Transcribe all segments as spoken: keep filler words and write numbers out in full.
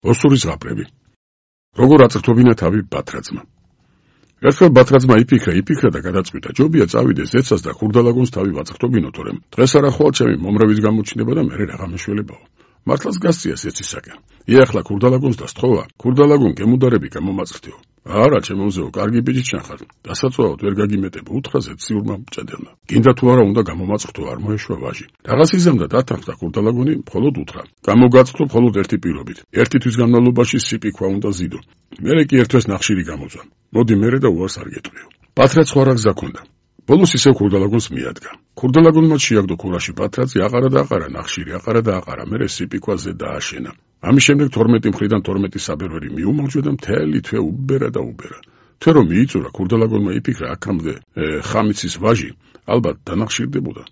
ოსურის ზღაპრები. როგორ აწრთობინა თავი ბათრაძმა. ერთხელ ბათრაძმა იფიქრა, იფიქრა და გადაწყვიტა, ჯობია წავიდეს ზეცას და ხურდალაგონს თავი ვაწრთობინო, თორემ დღეს არა ხვალ ჩემი მომრავის გამოჩნდება და მერე რაღა მეშველებაო. მართლაც გასწია ზეცისაკენ. იახლა ხურდალაგონს და სთხოვა, ხურდალაგონ გემუდარები გამომაწრთეო. არა, ჩემო მზეო, კარგი ბიჭი ჩანხარ. დასაწვავად ვერ გაგიმეტებ უთხრა ზეციურმა მჭედელმა. გინდა თუ არა უნდა გამომაწრთო, არ მოეშვა ვაჟი. რაღაც იზამდა დათანხმდა ხურდალაგონი, მხოლოდ უთხრა. გამოგაწყდო მხოლოდ ერთი პირობით. ერთი თვის განმავლობაში სიპიქვა უნდა ზიდო. მერე კი ერთვეს ნახშირი გამოძვა. მოდი მერე და უარს არ გეტყვიო. ბათრაც სხვა რა გზა ქონდა. ბოლოს ისევ ხურდალაგონს მიადგა. ხურდალაგონმა შეაგდო ქურაში ბათრაცი, აყარა და აყარა ნახშირი, აყარა და აყარა, მერე სიპიქვაზე დააშენა. ამის შემდეგ თორმეტი მხრიდან თორმეტი საბერვერი მიუმალჯვა და მთელი თვე უბერა და უბერა. თვე რომ მიიწურა, ხურდალაგონმა იფიქრა, აქამდე ხამიცის ვაჟი ალბათ დანახშირდებოდა.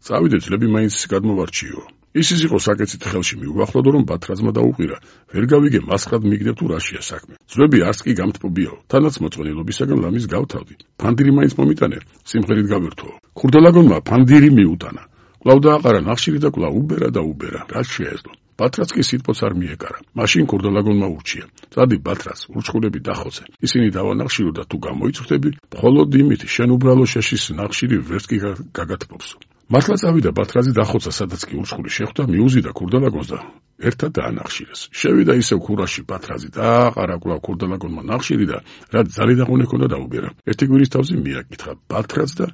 წავიდე ძლები მაინც გადმოვარჩიო. ისიც იყო საკეცით ხელში მიუახლოვდო, რომ ბათრაძმა დაუყირა, ვერ გავიგე მასხად მიგდებ თუ რაშია საქმე. ძვლები არც კი გამთბობიაო, თანაც მოწყენილობისაგან ლამის გავთავდი. ფანდირი მაინც მომიტანე, სიმღერით გავერთო. ხურდალაგონმა ფანდირი მიუტანა. კვლავ დააყარა ნახშირი და კვლავ უბერა და უბერა, რაც შეეძლო. ბათრაც კი სიტყვაც არ მიეკარა. მაშინ ხურდალაგონმა ურჩია. წადი ბათრაც, ურჩხულები დახოცე. ისინი დავანახშირო და თუ გამოიწვრთები, მხოლოდ იმით შენ უბრალო შეშის ნახშირი ვერც კი გაგათბობს. მართლა წავიდა ბათრაძე დახოცა, სადაც კი ურჩხული შეხვდა, მიუზიდა ხურდალაგონს და ერთად დაანახშირეს. შევიდა ისევ ქურაში ბათრაძე და აყარა კვლავ ხურდალაგონმა ნახშირი და რაც ძალი დაყუნე ქონდა დაუბერა. ერთი კვირის თავზე მიაკითხა ბათრაც და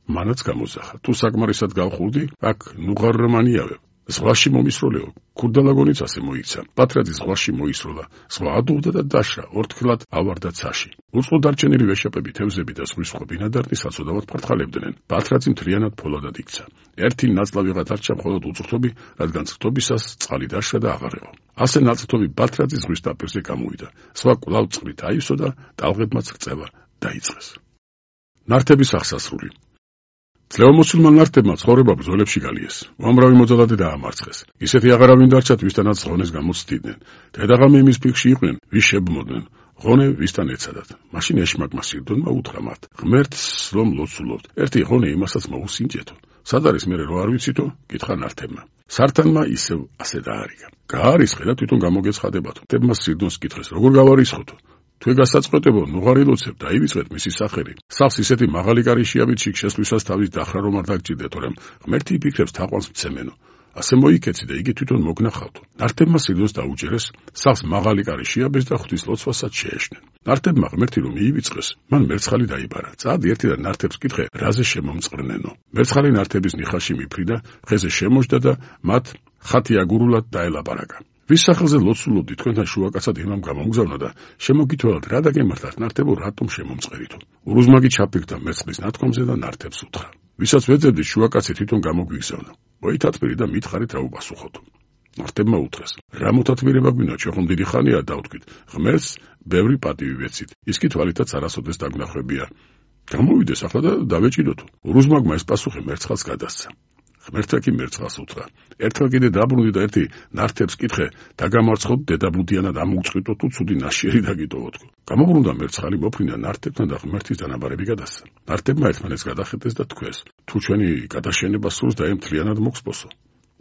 მანაც გამოძახა. თუ საკმარისად გავხურდი, აქ ნუღარმანიავებ. ზღვაში მომისროლეო. ხურდალაგონიც ასე მოიქცა. ბათრაძე ზღვაში მოისროლა. ზღვა ადოვდა და დაშრა. ორთქლად ავარდა ცაში. უწყო დარჩენილი ვეშაპები, თევზები და სხვის სხვა ბინადარნი საცოდავად ფართხალებდნენ. ბათრაძე მთლიანად ფოლადად იქცა. ერთი ნაწლავიღა დარჩა მხოლოდ უწყრთობი, რადგან წრთობისას წყალი დაშრა და აღარ ეყო. ასე ნაწრთობი ბათრაძე ზღვის დაპირზე გამოვიდა. სხვა კვლავ წყლით აივსო და ტალღებმაც ქწევა დაიწყეს. ნართების აღსასრული. ძლევამოსილმა ნართებმა ცხოვრება ბრძოლებში გალიეს. უამრავი მოძალადე დაამარცხეს. ისეთი აღარავინ დარჩათ, ვისთანაც ღონეს გამოცდიდნენ. დედაღამე იმის ფიქრში იყვნენ, ვის შებმოდნენ. ღონე ვისთან ეცადათ. მაშინ ეშმაკმა სირდონმა უთხრა მათ, ღმერთს რომ ლოცულობთ. ერთი ღონე იმასაც მოусინჯეთო. სად არის მერე რო არ ვიცითო? კითხა ნართებმა. სართანმა ისევ ასე დაარიგა. გაარისხე და თვითონ გამოგეცხადებათო. ნართებმა სირდონს კითხეს, როგორ გავარისხოთო? თვე გასაწყოტებო, ნუღარილოცებ და ივიწყეთ მისი სახელი. სახლს ისეთი მაღალი კარი შეავით, შიგ შესვლისას თავის დახრა რომ არ დაგჭირდეთ, რომ ღმერთი იფიქრებს თაყვანს მცემენო. ასე მოიქეცი და იგი თვითონ მოგნახავთო. ნართებმა სირდონს დაუჭერეს, სახლს მაღალი კარი შეაბეს და ღვთის ლოცვასაც შეეშნენ. ნართებმა ღმერთი რომ მიივიწყეს, მან მერცხალი დაიბარა. წადი ერთიდან ნართებს კითხე, რაზე შემომწყრნენო. მერცხალი ნართების ნიხაში მიფრიდა, ხეზე შემოჯდა და მათ ხათი აგურულად დაელაპარაკა. ვის სახელზე ლოცულობდი, თქვენთან შუაკაცად იმამ გამომგზავნა და შემოგითვალათ რა დაგემართათ, ნართებო, რატომ შემომწყერითო? ურუზმაგი ჩაფიქრდა მერცხლის ნათქვამზე და ნართებს უთხრა. ვისაც ვეძებდი, შუაკაცი თვითონ გამოგვიგზავნა. მოითათმირი და მითხარით რა უპასუხოთო. ნართებმა უთხრეს, რა მოთათმირება გვინდა, ჩვენ ხომ დიდი ხანია დავთქვით, ღმერთს ბევრი პატივი ვეცით, ის კი თვალითაც არასოდეს დაგნახვებია. გამოვიდეს ახლა და დავეჭიდოთო. ურუზმაგმა ეს პასუხი მერცხალს გადასცა. ღმერთმა კი მერცხალს უთხრა, ერთხელ კიდე დაბრუნდი და ერთი ნართებს კითხე, დაგამარცხოთ დედაბუდიანად ამოუწყიტო თუ ცუდი ნაშიერი დაგიტოვოთო. გამობრუნდა მერცხალი, მოფრინდა ნართებთან და ღმერთის დანაბარები გადასცა. ნართებმა ერთმანეთს გადახეტეს და თქვეს, თუ ჩვენი გადაშენება სურს და ემთლიანად მოგსპოსო.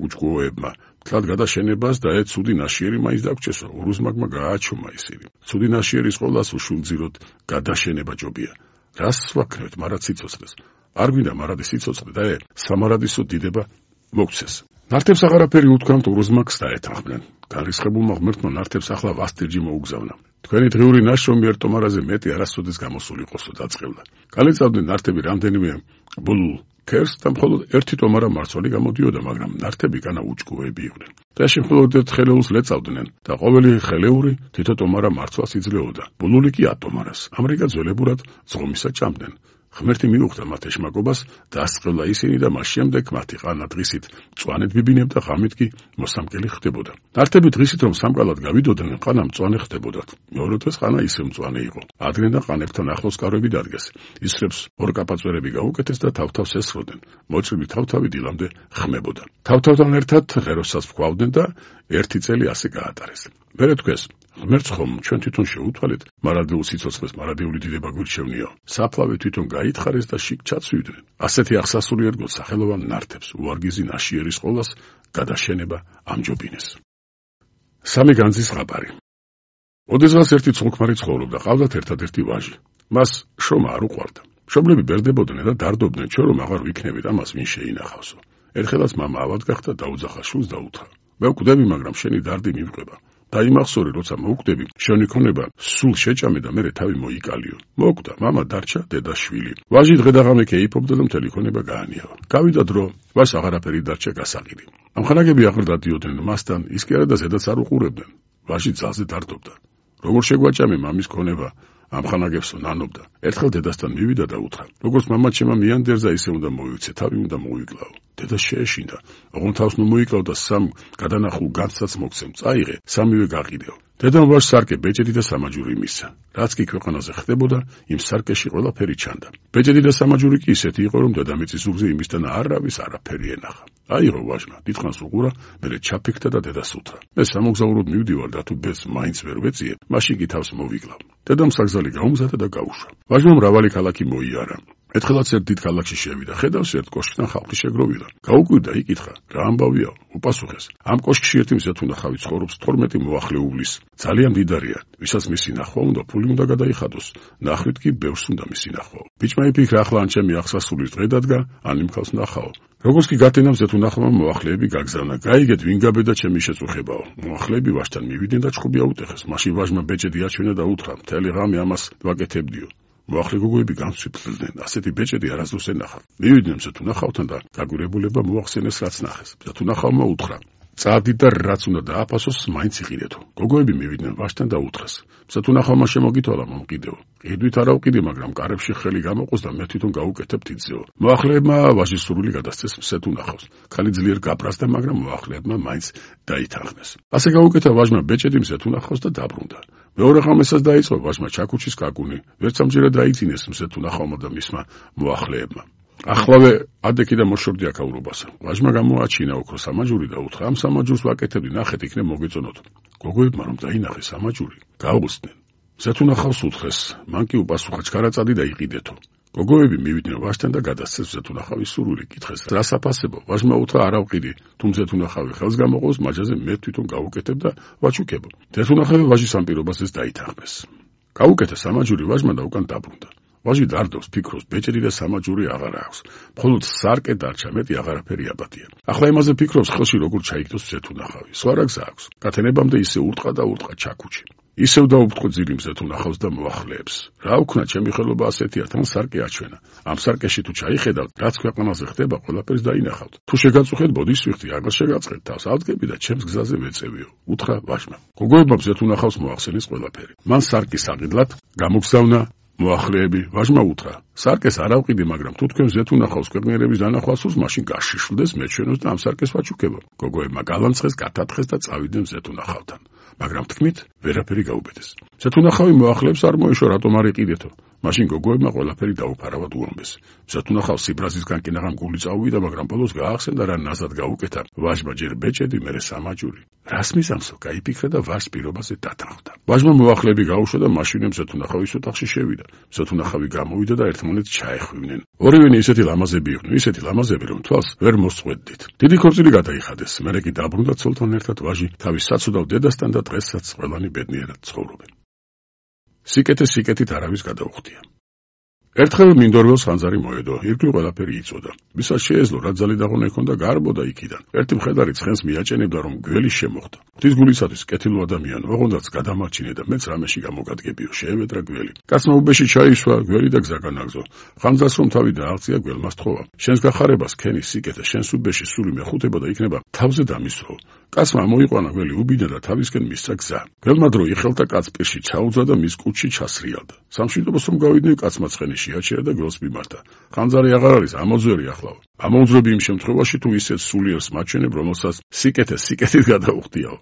უჯგუოებმა თლად გადაშენებას და ე ცუდი ნაშიერი მაინც დაგჭესო. ურუზმაგმა გააჩომა ისინი. ცუდი ნაშიერის ყოლას უშულძიროთ, გადაშენება ჯობია. რას ვაქნევთ, მარა ციცოცხლეს. არ გვინდა მარადი სიცოცხლე და ე სამარადისო დიდება მოგცეს. ნართებს აღარაფერი უთქვამთ, ურუზმაგს დაეთანხმდნენ. განრისხებულმა ღმერთმა ნართებს ახლა ვასტირჯი მოუგზავნა. თქვენი დღიური ნაშრომი ერთ ტომარაზე მეტი არასოდეს გამოსულიყოსო დაწყევლა. გალეწავდნენ ნართები რამდენიმე ბულულ ქერს და მხოლოდ ერთი ტომარა მარცვალი გამოდიოდა, მაგრამ ნართები განა უჭკუები იყვნენ. დღეში მხოლოდ ერთ ხელეულს ლეწავდნენ და ყოველი ხელეული თითო ტომარა მარცვალს იძლეოდა. ბულული კი ატომარას. ამრიგად ძველებურად ზღომისა ჭამდნენ. ღმერთი მიუხვდა მათ ეშმაკობას, დასწყევლა ისინი და მას შემდეგ მათი ყანა დღისით მწვანედ ბიბინებდა, ღამით კი მოსამკელი ხდებოდა. ნართები დღისით რომ სამკალად გავიდოდნენ, ყანა მწვანე ხდებოდათ. მეორე დღეს ყანა ისევ მწვანე იყო. ადრე და ყანებთან ახლოს კარვები დადგეს. ისრებს ორ კაპაწვერები გაუკეთეს და თავთავს ესროდნენ. მოჭრილი თავთავი დილამდე ხმებოდა. თავთავთან ერთად ღეროსაც ვქვავდნენ და ერთი წელი ასე გაატარეს. მერე თქვეს, ღმერთს ხომ ჩვენ თვითონ შეუთვალეთ, მარადეულ სიცოცხლეს მარადეული დიდება გვირჩევნიო. საფლავე თვითონ გაითხარეს და შიგ ჩაცვიდნენ. ასეთი აღსასრული ერგო სახელოვან ნართებს უარგიზი ნაშიერის ყოლას გადაშენება ამჯობინეს. სამი განძის ზღაპარი. ოდესღაც ერთი ცოლ-ქმარი ცხოვრობდა, ყავდათ ერთადერთი ვაჟი. მას შრომა არ უყვარდა. მშობლები ბერდებოდნენ და დარდობდნენ, ჩვენ რომ აღარ ვიქნებით ამას ვინ შეინახავსო. ერთხელაც მამა ავად გახდა, დაუძახა შვილს და უთხრა: მე ვკვდები, მაგრამ შენი დარდი მივყვება. დაიმახსოვრე, როცა მოვკვდები, შენი ქონება სულ შეჭამე და მერე თავი მოიკალიო. მოკვდა, მამა დარჩა, დედა შვილი. ვაჟი დღე-დაღამე კეიფობდა და მთელი ქონება გაანიავა. გავიდა დრო, ვაჟს აღარაფერი დარჩა გასაყიდი. ამხანაგები აღარ დადიოდნენ მასთან, ის კი არა და ზედაც არ უყურებდნენ. ვაჟი ძალზე დარდობდა. როგორ შეგვაჭამე მამის ქონება? ამხანაგებსო ნანობდა. ერთხელ დედასთან მივიდა და უთხრა: როგორც მამა ჩემმა მიანდერზა, ისე უნდა მოვიქცე, თავი უნდა მოვიკლავ. დედა შეეშინდა. ოღონდ თავს ნუ მოიკლავ და სამ გადანახულ განცაც მოგცემ. წაიღე, სამივე გაყიდეო. დედამ ვაჟს სარკე, ბეჭედი და სამაჯური მისცა. რაც კი ქვეყანაზე ხდებოდა, იმ სარკეში ყველაფერი ჩანდა. ბეჭედი და სამაჯური კი ისეთი იყო, რომ დედამიწის ზურგზე იმისთან არავის არაფერი ენახა. აიღო ვაჟმა, დიდხანს უყურა, მერე ჩაფიქრდა და დედას უთხრა: მე სამოგზაუროდ მივდივარ და თუ ბედს მაინც ვერ ვეწიებ, მაშინ კი თავს მოვიკლავ. დედამ საგზალი გაუმზადა და გაუშვა. ვაჟმა მრავალი ქალაქი მოიარა. ერთხელაც ერთ დიდ ქალაქში შევიდა, ხედავს ერთ კოშკიდან ხალხი შეგროვილი. გაუკვირდა, იკითხა: რა ამბავია? უპასუხეს: ამ კოშკში ერთი მზეთუნახავი ცხოვრობს თორმეტი მოახლეულის. ძალიან მდიდარია, ვისაც მისი ნახვა უნდა, ფული უნდა გადაიხადოს. ნახვით კი ბევრს უნდა მისი ნახვა. ბიჭმა იფიქრა, ახლა ან ჩემი აღსასრულის დღე დადგა, ან იმ ხალხს ნახაო. როგორც კი გათენა მზეთუნახავმა მოახლეები გაგზავნა. გაიგეთ, ვინ გაბედა ჩემი შეწუხებაო. მოახლეები ვაჟთან მივიდნენ და ჭხუბი აუტეხეს. მაშინ ვაჟმა ბეჭედი აჩვენა და უთხრა: მთელი ღამე ამას ვაკეთებდიო. მოახლე გოგოები განსვიფლდნენ, ასეთი ბეჭედი არასდროს ენახა. მივიდნენ მზეთუნახავთან და გაგვირებულება მოახსენეს, რაც ნახეს. მზეთუნახავმა უთხრა: წადი და რაც უნდა დააფასოს, მაინც იყიდეთო. გოგოები მივიდნენ ვაჟთან და უთხრეს: მზეთუნახავმა შემოგითვალა მომყიდეო. ყიდვით არა ვყიდე, მაგრამ კარებში ხელი გამოყოს და მე თვითონ გავუკეთებ თითზეო. მოახლეებმა ვაჟის სურვილი გადასცეს მზეთუნახავს. ხალი ძლიერ გაპრასდა, მაგრამ მოახლეებმა მაინც დაითანხმეს. ასე გაუკეთა ვაჟმა ბეჭედი მზეთუნახავს და დაბრუნდა. მეორე ღამესაც დაიწყო ვაჟმა ჩაქუჩის კაკუნი. ვერცამჯერად დაიძინეს მზეთუნახავმა და მისმა მოახლეებმა. ახლავე ადექი და მოშორდი აკაურობასა. ვაჟმა გამოაჩინა ოქრო სამაჯური და უთხრა: ამ სამაჯურს ვაკეთებდი, ნახეთ, იქნებ მოგეწონოთ. გოგოებმა რომ დაინახეს სამაჯური, გაუხსდნენ. მზეთუნახავს უთხრეს, მან კი უპასუხა: ჩქარაწადი და იყიდეთო. გოგოები მივიდნენ ვაჟთან და გადასცეს მზეთუნახავის სურვილი. კითხეს: რას აფასებო? ვაჟმა უთხრა: არა ვყიდი, თუ მზეთუნახავი ხელს გამოყოს, მაჯაზე მე თვითონ გავუკეთებ და ვაჩუქებო. მზეთუნახავი ვაჟის ამ პირობასაც დაითანხმეს. გაუკეთა სამაჯური ვაჟმა და უკან დაბრუნდა. ვაჟი დარდობს, ფიქრობს, ბეჭედი და სამაჯური აღარ აქვს. მხოლოდ სარკე დარჩა, მეტი აღარაფერი აბადია. ახლა იმაზე ფიქრობს, ხელში როგორ ჩაიგდოს მზეთუნახავი. სხვა რა გზა აქვს? გათენებამდე ისე ურტყა და ურტყა ჩაქუჩი. ისევ დაუფრთხო ძილი მზეთუნახავს და მოახლეებს. რა ვქნა, ჩემი ხელობა ასეთია, თან სარკე აჩვენა. ამ სარკეში თუ ჩაიხედავთ, რაც ქვეყანაზე ხდება, ყველაფერს დაინახავთ. თუ შეგაწუხეთ, ბოდის ვიხდი, აღარ შეგაწყეთ თავს, ავდგები და ჩემს გზაზე ვეწევიო. უთხრა ვაჟმა. გოგოებმა მზეთუნახავს მოახსენეს ყველაფერი. მან სარკის აღიდლად გამოგზავნა მოახლეები. ვაჟმა უთხრა: სარკეს არ ავყიდე, მაგრამ თუ თქვენ მზეთუნახავს ქვეყნიერების დანახვა სურს, მაშინ გაშიშვლდეს, მეჩვენოს და ამ სარკეს ვაჩუქებო. გოგოებმა გალანცხეს, გათათხეს და წავიდნენ მზეთუნახავთან. მაგრამ თქმით, ვერაფერი გაუბედეს. მზეთუნახავი მოახლეებს არ მოეშვა, რატომ არ იყიდეთო. მაშინ გოგოებმა ყველაფერი დაუფარავად უამბეს. მზეთუნახავს სიბრაზისგან კი ნაღამ გული წავიდა, მაგრამ ბოლოს გაახსენდა, რა ნაზად გაუკეთა. ვაჟმა ჯერ ბეჭედი, მერე სამაჯური. რას მისამსო? გაიფიქრა და ვაჟს პირობაზე დათანხმდა. ვაჟმა მოახლეები გაუშვა და მაშინვე მზეთუნახავის ოთახში შევიდა. მზეთუნახავი გამოვიდა და ერთმანეთს ჩაეხვივნენ. ორივენი ისეთი ლამაზები იყვნენ, ისეთი ლამაზები, რომ თვალს ვერ მოსწყვეტდით. დიდი ქორწილი გადაიხადეს, მერე კი დაბრუნდა ცოლთან ერთად ვაჟი თავის საცუდავ დედასთან და დღესაც ყველანი ბედნიერად ცხოვრობენ. სიკეთე სიკეთით არავის გადაუხდია. ერთხელ მინდორველს ხანძარი მოედო, ირგვლივ ყველაფერი იწოდა. ვისაც შეეძლო, რა ძალი დაღონა ექონდა, გარბოდა იქიდან. ერთი მხედარი ცხენს მიაჭენებდა, რომ გველი შემოხდა. ღვთისგულისათვის კეთილო ადამიანო, ოღონდაც გადამარჩინე და მეც რამეში გამოგადგებიო, შეევედრა გველი. კაცმა უბეში ჩაისვა, გველი და გზა განაგზო. ხანძარს რომ თავი დააღწია, გველმა სთხოვა: შენს გახარებას ქენი სიკეთე, შენს უბეში სული მეხუთება და იქნება თავზე დამისვრო. კაცმა მოიყვანა გველი უბინა და თავისკენ მისცა გზა. გველმა დრო იხელთა კაც პირში ჩაუძა და მის კუჭში ჩასრიალდა. სამშვიდობოს რომ გავიდნენ, კაცმა ცხენი შეაჩერა და გველს მიმართა. ხანძარი აღარ არის, ამოძვერი ახლა. ამოუძვრები იმ შემთხვევაში, თუ ისეთ სულიერს მაჩვენებ, რომელსაც სიკეთე სიკეთით გადაუხდიაო.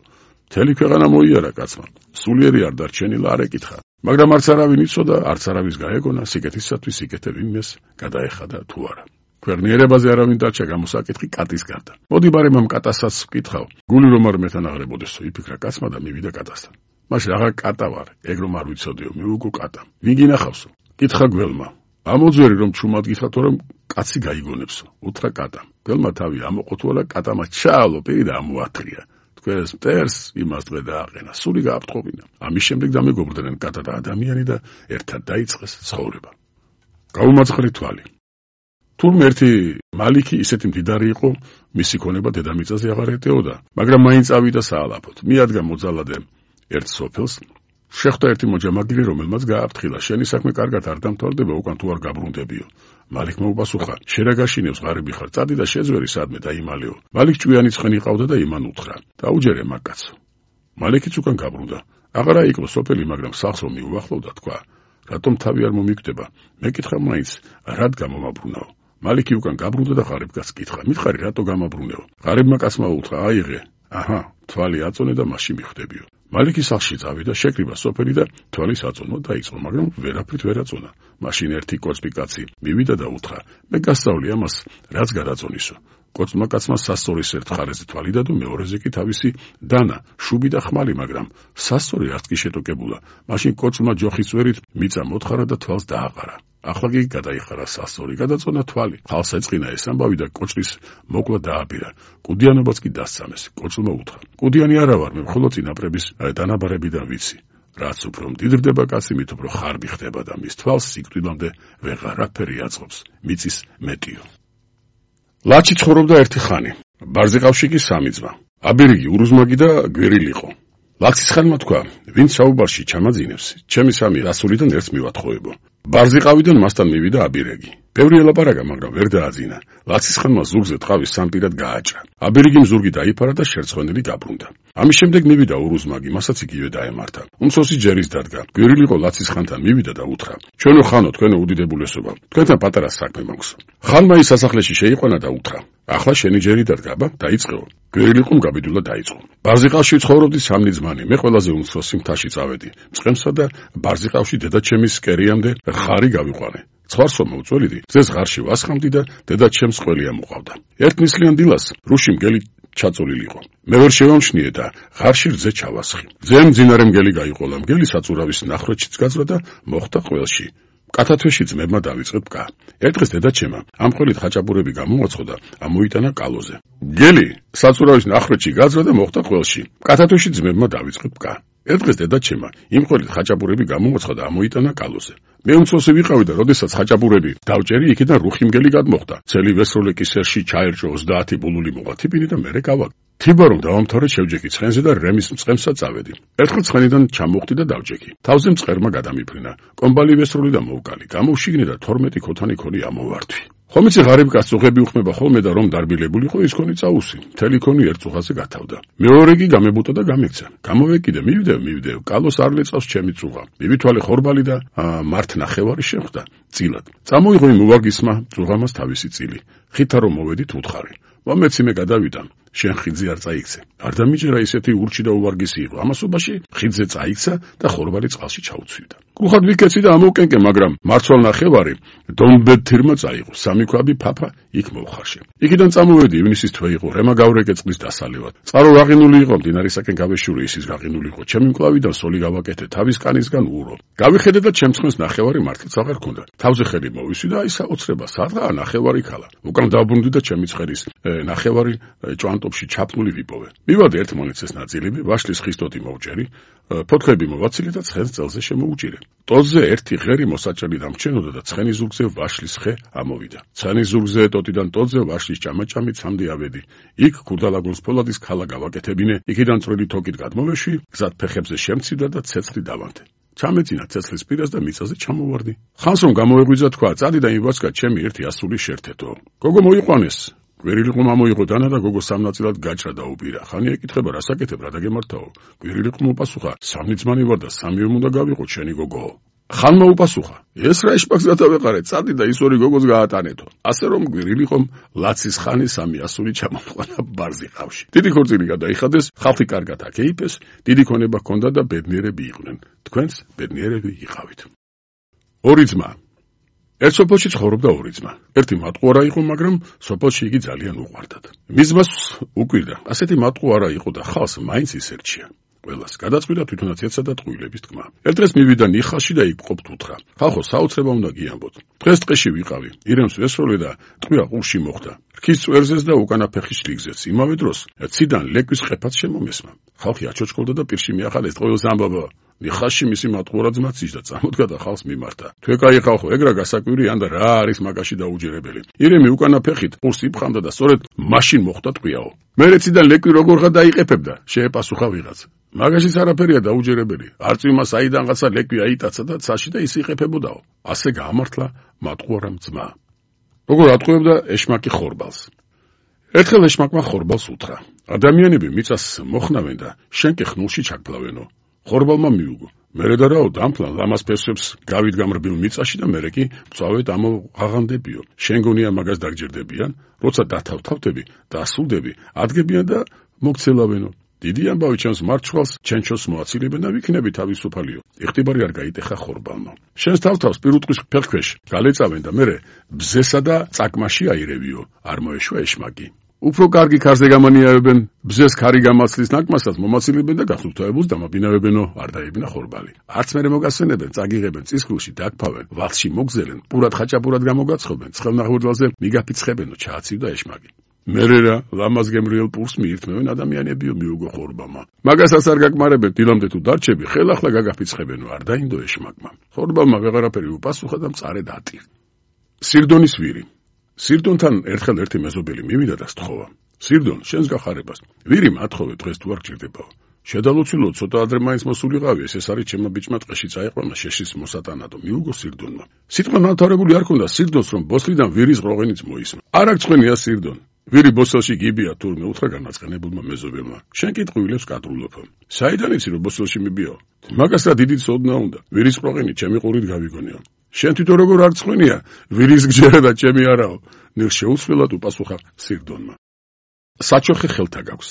მთელი ქვეყანა მოიარა კაცმა. სულიერი არ დარჩენილა, არ ეკითხა. მაგრამ არც არავინ იცოდა, არც არავის გაეგონა, სიკეთისათვის სიკეთე ვინმეს გადაეხადა თუ არა. ქვეყნიერებაზე არავინ დარჩა გამოსაკითხი კატის გარდა. მოდი ბარემ ამ კატასაც ვკითხავ. გული რომ არ მეთანაღრებოდესო, იფიქრა კაცმა და მივიდა კატასთან. მაშინ აღარ კატა ვარ, ეგ რომ არ ვიცოდიო, მივუგო კატა. ვინ გინახავსო? კითხა გველმა. ამოძვერი რომ ჩუმად გითხრა, თორემ კაცი გაიგონებსო. უთხრა კატამ. გველმა თავი ამოყოთულა, კატამა ჩაალო პირი და ამოათრია. თქვენს მტერს იმას დღე დააყენა, სული გააფრთხობინა. ამის შემდეგ დამეგობრდნენ კატა და ადამიანი და ერთად დაიწყეს ცხოვრება. გაუმაცხრე თვალი. თურმე ერთი მალიქი ისეთი მდიდარი იყო, მისი ქონება დედამიწაზე აღარ ეტეოდა, მაგრამ მაინც ავიდა საალაფოდ. მიადგა მოძალადე ერთ სოფელს, შეხვდა ერთი მოჯამაგირი, რომელმაც გააფრთხილა, შენი საქმე კარგად არ დამთავრდება, უკან თუ არ გაბრუნდებიო. მალიქმა უპასუხა, შენ რა გაშინებს ღარიბი ხარ, წადი და შეძვერი სადმე დაიმალეო. მალიქ ჭვიანი ცხენი ყავდა და იმან უთხრა, დაუჯერე მაგკაცო. მალიქიც უკან გაბრუნდა. აღარა იყო სოფელი, მაგრამ სახლს რომ მიუახლოვდა, თქვა, რატომ თავი არ მომიგდება? მეკითხა მაინც, რად გამომაბრუნაო? მალიქი უკან გაბრუნდა და ღარიბკაცს კითხა, მითხარი რატო გამაბრუნეო? ღარიბმა კაცმა უთხრა, აიღე. აჰა, თვალი აწონე და მასში მიხვდებიო. მალიქი სახლში წავიდა, შეკრიბა სოფელი და თვალის აწონა დაიწყო, მაგრამ ვერაფრით ვერ აწონა. მაშინ ერთი კოწმი კაცი მივიდა და უთხრა, მე გასწავლი ამას, რაც გადაწონისო. კოწმა კაცმა სასწორის ერთ ხარეზე თვალი დადო, მეორეზე კი თავისი დანა, შუბი და ხმალი, მაგრამ სასწორი არც კი შეტოკებულა. მაშინ კოწმა ჯოხის წვერით მიწა მოთხარა და თვალს დააყარა. ახლა კი გადაიხარა სასწორი, გადაწონა თვალი. ხალხს ეწყინა ეს ამბავი და კოჭრის მოკლა დააბირა. კუდიანობაც კი დასცამეს. კოჭმა უთხრა, კუდიანი არა ვარ, მე მხოლოდ წინაპრების დანაბარებიდან ვიცი. რაც უფრო მდიდრდება კაცი, მით უფრო ხარბი ხდება და მის თვალს სიკვდილამდე ვეღარაფერი აწყობს, მიწის მეტიო. ლაჩი ცხოვრობდა ერთი ხანი. ბარზიყავში კი სამი ძმა. აბირიგი, ურუზმაგი და გვირილი იყო. ლაცის ხანმა თქვა, ვინც საუბარში ჩამაძინებს, ჩემი სამი ასულიდან ერთს მივათხოვებო. ბარზიყავიდან მასთან მივიდა აბირიგი. ბევრი ელაპარაკა, მაგრამ ვერ დააძინა. ლაცის ხანმა ზურგზე ტყავის სამპირად გააჭრა. აბირიგიმ ზურგი დაიფარა და შერცხვენილი გაბრუნდა. ამის შემდეგ მივიდა ურუზმაგი, მასაც იგივე დაემართა. უმცროსი ჯერის დადგა. გვირილიყო ლაცის ხანთან მივიდა და უთხრა, ჩვენო ხანო, თქვენო უდიდებულესობა, თქვენთან პატარა საქმე მაქვს. ხანმა ის სასახლეში შეიყვანა და უთხრა, ახლა შენი ჯერი დადგა, აბა, დაიწყეო. გვირილიყომ გაბედულად დაიწყო. ბარზიყავში ცხოვრობდი სამნი ძმანი, მე ყველაზე უმცროსი მთაში წავედი. მწყემსა და ბარზიყავში დედაჩემის კერიამდე ხარი გავიყვანე. ცხარსო მოვწველიდი, ძეს ღარში ვასხამდი და დედაჩემს ყველია მოყავდა. ერთ ნისლიან დილას რუში მგელი ჩაწოლილიყო. მე ვერ შევამჩნიე და ღარში რძე ჩავასხი. ძემ მძინარე მგელი გაიყოლა, მგელი საწურავის ნახროჩიც გაძვრა და მოხდა ყველში. კათათვეში ძმებმა დავიწყებ კა. ერთ დღეს დედაჩემა ამ ყველით ხაჭაპურები გამოაცხო და ამოიტანა კალოზე. მგელი საწურავის ნახროჩი გაძვრა და მოხდა ყველში. კათათვეში ძმებმა დავიწყებ კა. ერთ დღეს დედაჩემა იმ ყველით ხაჭაპურები გამოაცხო და ამოიტანა კალოზე. მე უმცროსი ვიყავი და როდესაც ხაჭაპურები დავჭერი, იქიდან რუხი მგელი გადმოხდა. ცელი ვესროლე კისერში ჩაერჭო ოცდაათი ბულული მოყათიბინი და მერე გავაკ. თიბა რომ დავამთავრე, შევჯექი ცხენზე და რემის მწყემსა წავედი. ერთხელ ცხენიდან ჩამოხდი და დავჯექი. თავზე მწყერმა გადამიფრინა. კომბალი ვესროლი და მოვკალი. გამოვშიგნე და თორმეტი ქოთანი ქონი ამოვართვი. ხომიცი ღარიბკაც წუხები უხმება ხოლმე და რომ დარბილებულიყო, ის ქონი წაუსი. მთელი ქონი ერთ წუხაზე გათავდა. მეორე კი გამებუტა და გამექცა. გამოვეკიდე, მივიდე, მივიდე. კალოს არ ლეწავს ჩემი წუღა. მივითვალე ხორბალი და მართ ნახევარი შეხვდა. წილად. წამოიღო იმ უვარგისმა წუღამას თავისი წილი. ხითა რომ მოვედით უთხარი. მომეცი მე გადავიდა. შენ ხიძე არ წაიქცე. არ დამიჯერა ისეთი ურჩი და უვარგისი იყო. ამასობაში ხიძე წაიქცა და ხორბალი წყალში ჩაუცვიდა. კუხად ვიკეცი და ამოვკენკე, მაგრამ მარცვალ ნახევარი დონბეთირმა წაიღო. სამი ქვაბი ფაფა იქ მოვხარშე. იქიდან წამოვედი, ივნისის თვე იყო, რემა გავრეკე წყლის დასალევად. წყარო რაღინული იყო, მდინარისაკენ გავეშური, ისიც რაღინული იყო. ჩემი მკლავიდან სოლი გავაკეთე, თავის კანისგან ურო. გავიხედე და ჩემს ხმეს ნახევარი მართლაც აღარ ქონდა. თავზე ხელი მოვისვი და აი საოცრება, სადღაა ნახევარი ქალა. უკან დავბრუნდი და ჩემი ცხერის ნახევარი ჭვანტოფში ჩაფნული ვიპოვე. მივადე ერთ მონიცეს ნაწილები, ვაშლის ხისტოთი მოვჭერი, ფოთლები მოვაცილე და ცხენს წელზე შემოუჭირე. ტოტზე ერთი ღერი მოსაჭრელი დამრჩენოდა და ცხენის ზურგზე ვაშლის ხე ამოვიდა. ცხენის ზურგზე ტოტიდან ტოტზე ვაშლის ჭამაჭამით სამდი ავედი. იქ ქურდალაგუნს ფოლადის ქალა გავაკეთებინე, იქიდან წვრილი თოკით გადმოვეშვი, გზად ფეხებზე შემცივდა და ცეცხლი დავანთე. ჩამეძინა ცეცხლის პირას და მიწაზე ჩამოვარდი. ხანს რომ გამოეღვიძა, თქვა, წადი და იმვასკა ჩემი ერთი ასული შერთეთო. გოგო მოიყვანეს. გვირილიყო მამოიღო დანა და გოგო სამნაწილად გაჭრა და უბირა. ხანი ეკითხება, რას აკეთებ, რა დაგემართაო? გვირილიყო მოპასუხა, სამი ძმანი ვარ და სამივე უნდა გავიყო შენი გოგო. ხანმა უპასუხა, ეს რა ეშპაკს გადავეყარე, წადი და ის ორი გოგოს გაატანეთო. ასე რომ გვირილიყომ ლაცის ხანი სამი ასული ჩამოყვანა ბარზიყავში. დიდი ქორწილი გადაიხადეს, ხალხი კარგად აკეიფეს, დიდი ქონება ჰქონდა და ბედნიერები იყვნენ. თქვენს ბედნიერები იყავით. ორი ძმა. ერთ სოფელში ცხოვრობდა ორი ძმა. ერთი მატყუარა იყო, მაგრამ სოფელში იგი ძალიან უყვარდათ. მის ძმას უკვირდა, ასეთი მატყუარა იყო და ხალხს მაინც ისერჩია. ყველას გადაწყვიტა თვითონაც ეცა და ტყუილების თქმა. ერთ დღეს მივიდა ნიხალში და იქ ყოფთ უთხრა. ხალხო, საოცრება უნდა გიამბოთ. დღეს ტყეში ვიყავი, ირემს ვესროლე და ტყვია ყურში მოხდა. რქის წვერზეც და უკანა ფეხის შლიგზეც. იმავე დროს ციდან ლეკვის ყეფაც შემომესმა. ხალხი აჩოჩქოლდა და პირში მიახალეს ტყუილს ამბობა. ნიხალში მისი მატყუარა ძმაც ისდა წამოდგა და ხალხს მიმართა. თუ ეკაი ხალხო, ეგრა გასაკვირია და რა არის მაგაში დაუჯერებელი. ირემი უკანა ფეხით ყურს იფხამდა და სწორედ მაშინ მოხდა ტყვიაო. მერეციდან ლეკვი როგორღა დაიყეფებდა, შეეპასუხა ვიღაც. მაგაშიც არაფერია დაუჯერებელი. არწივმა საიდანღაცა ლეკვი აიტაცა და ცაში და ის იყეფებოდაო. ასე გაამართლა მატყუარამ ძმა. როგორ ატყუებდა ეშმაკი ხორბალს. ერთხელ ეშმაკმა ხორბალს უთხრა. ადამიანები მიწას მოხნავენ და შენ კი ხნულში ჩაგფლავენო. ხორბალმა მიუგო. მერე და რაო დამფლან ლამას ფესვებს გავიდგამ რბილ მიწაში და მერე კი მწვავედ ამოაღანდებიო. შენ გონია მაგას დაგჯერდებიან, როცა დათავთავდები და ასულდები, ადგებიან და მოგცელავენო. დიდი ამბავი ჩემს მარჩხალს ჩენჩოს მოაცილებენ და ვიქნები თავისუფალიო. იხტიბარი არ გაიტეხა ხორბალმა. შენს თავთავს პირუტყვის ფეხქვეშ გალეწავენ და მერე ბზესა და წაკმაში აირევიო. არ მოეშვა ეშმაკი. უფრო კარგი ქარზე გამანიავებენ, ბზეს ქარი გამაცლის ნაკმასაც მომაცილებენ და გასუფთავებულს დამაბინავებენო, არ დაებინა ხორბალი. არც მერე მოგასვენებენ, წაგიღებენ, წისქვილში დაგფავენ, ვალში მოგზელენ, პურად ხაჭაპურად გამოგაცხობენ, ცხელნახურდელზე მიგაფიცხებენო, ჩააცივდა ეშმაკი. მერე რა, ლამაზ გემრიელ პურს მიირთმევენ ადამიანებიო, მიუგო ხორბალმა. მაგასაც არ გაკმარებენ, დილამდე თუ დარჩები, ხელახლა გაგაფიცხებენო, არ დაინდო ეშმაკმა. ხორბალმა ვეღარაფერი უპასუხა და მწარე დატირ. სირდონის ვირი. სირდონთან ერთხელ ერთი მეზობელი მივიდა და სთხოვა. სირდონ, შენს გახარებას. ვირი მათხოვე დღეს თუ არ გჭირდებაო. შედალოცილო, ცოტა ადრე მაინც მოსულიყავი, ეს არის ჩემმა ბიჭმა ტყეში წაიყვანა შეშის მოსატანადო, მიუგო სირდონმა. სიტყვა ნათარებული არ ქონდა სირდონს, რომ ბოსლიდან ვირის ყროღენიც მოისმა. არ აღწყვენია სირდონ. ვირი ბოსელში გიბია თურმე უთხრა განაწყენებულმა მეზობელმა. შენ კი ტყუილებს კატრულობო. საიდან იცი რომ ბოსელში მიბიო? მაგას რა დიდი ცოდნა უნდა. ვირის ყროღენი ჩემი ყურით გავიგონიო. შენ თვითონ როგორ არ წყვენია, ვირის გჯერა და ჩემი არაო. ნელ შეუცვლელად უპასუხა სირდონმა. საჩოხე ხელთა გაქვს.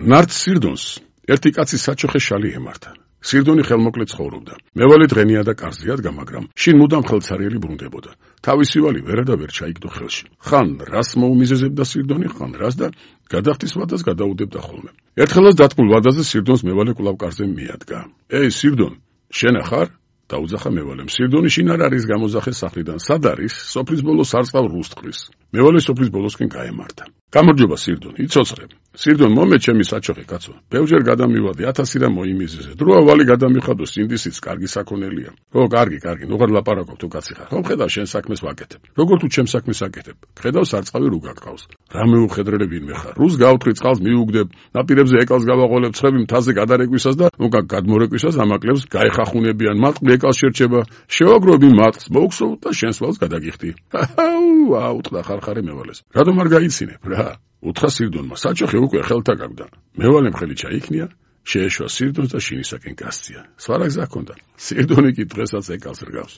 ნარც სირდონს ერთი კაცი საჩოხე შალი ემართა. სირდონი ხელმოკლე ცხოვრობდა. მევალი დღენია და კარზე ადგა, მაგრამ შინ მუდამ ხელცარიელი ბრუნდებოდა. თავისი ვალი ვერა და ვერ ჩაიგდო ხელში. ხან რას მოუმიზეზებდა სირდონი, ხან რას და გადახდის ვადას გადაუდებდა ხოლმე. ერთხელაც დათმულ ვადაზე სირდონს მევალი კვლავ კარზე მიადგა. ეი სირდონ, შენ ახარ? დაუძახა მევალემ. სირდონი შინ არ არის გამოძახე სახლიდან. სად არის? სოფლის ბოლოს არწყავ რუსტყრის. მევალე სოფლის ბოლოსკენ გაემართა. გამარჯობა სირდონ, იცოცხლე. სირდონ, მომე ჩემი საჩოხე კაცო. ბევრჯერ გადამივადი, ათასი რა მოიმიზეზე. დროა ვალი გადამიხადო, სინდისიც კარგი საქონელია. ო, კარგი, კარგი, ნუღარ ლაპარაკობ თუ კაცი ხარ. ხომ ხედავ შენ საქმეს ვაკეთებ. როგორ თუ ჩემ საქმეს აკეთებ. ხედავ სარწყავი რო გაგყავს. რა მეუხედრელე ვინმე ხარ? რუს გავთხრი წყალს მიუგდებ, ნაპირებზე ეკალს გავაყოლებ, ცხები მთაზე გადარეკვისას და უკან გადმორეკვისას ამაკლებს გაეხახუნებიან. მატყლი ეკალს შერჩება. შევაგროვი მატყლს, მოვხსოვ და შენს ვალს გადაგიხდი. აუ, აუტყდა ხარხარე მევალეს. რატომ არ გაიცინებ რა? უთხრა სირდონმა. საჩოხე უკვე ხელთა გაგვდა. მევალემ ხელი ჩაიქნია, შეეშვა სირდონს და შინისაკენ გასწია. სხვა რა გზა ჰქონდა? სირდონი კი დღესაც ეკალს რგავს.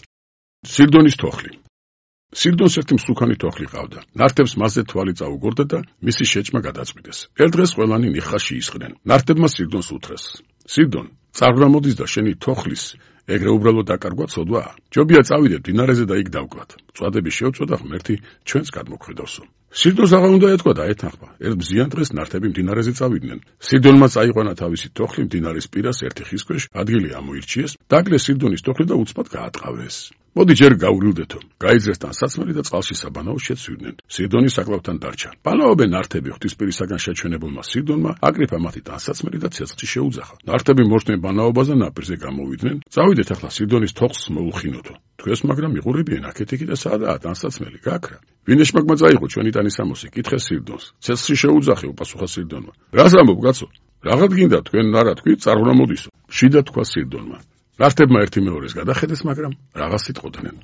სირდონის თოხლი. სირდონს ერთი მსუქანი თოხლი ყავდა. ნართებს მასზე თვალი წაუგორდა და მისი შეჭმა გადაწყვიტეს. ერთ დღეს ყველანი ნიხაში ისხდნენ. ნართებმა სირდონს უთხრეს. სირდონ, წარღრა მოდის და შენი თოხლის ეგრე უბრალოდ დაკარგვა ცოდვა. ჯობია წავიდე მდინარეზე და იქ დავკლათ. წვადები შევწვა ღმერთი ჩვენს გადმოგვხედავსო. სირდონს აღარ უნდა ეთქვა და ეთანხმა. ერთ მზიან დღეს ნართები მდინარეზე წავიდნენ. სირდონმა წაიყვანა თავისი თოხლი მდინარის პირას ერთი ხის ქვეშ, ადგილი ამოირჩიეს, დაგლეს სირდონის თოხლი და უცბად გაატყავეს. მოდი ჯერ გავრილდეთო. გაიძრეს ტანსაცმელი და წყალში საბანაო შეცვიდნენ. სირდონი საკლავთან დარჩა. ბანაობენ ნართები ღვთისპირისაგან შეჩვენებულმა სირდონმა აკრიფა მათი ტანსაცმელი და ცეცხლში შეუძახა. ნართები მოშდნენ ბანაობაზე ნაპირზე გამოვიდნენ. წავიდეთ ახლა სირდონის თოხს მოუხინოთო. თქვენს მაგრამ მიყურებიან აქეთ-იქით და სადაა ტანსაცმელი გაქრა. ვინ ეშმაკმა წაიღო ჩვენი ტანის სამოსი? კითხეს სირდონს. ცეცხლში შეუძახე, უპასუხა სირდონმა. რას ამბობ კაცო? რაღაც გინდა თქვენ არა თქვი, წარღვნა მოდისო. შიდა თქვა სირდონმა. ნართებმა ერთი მეორეს გადახედეს, მაგრამ რაღაც იტყოდნენ.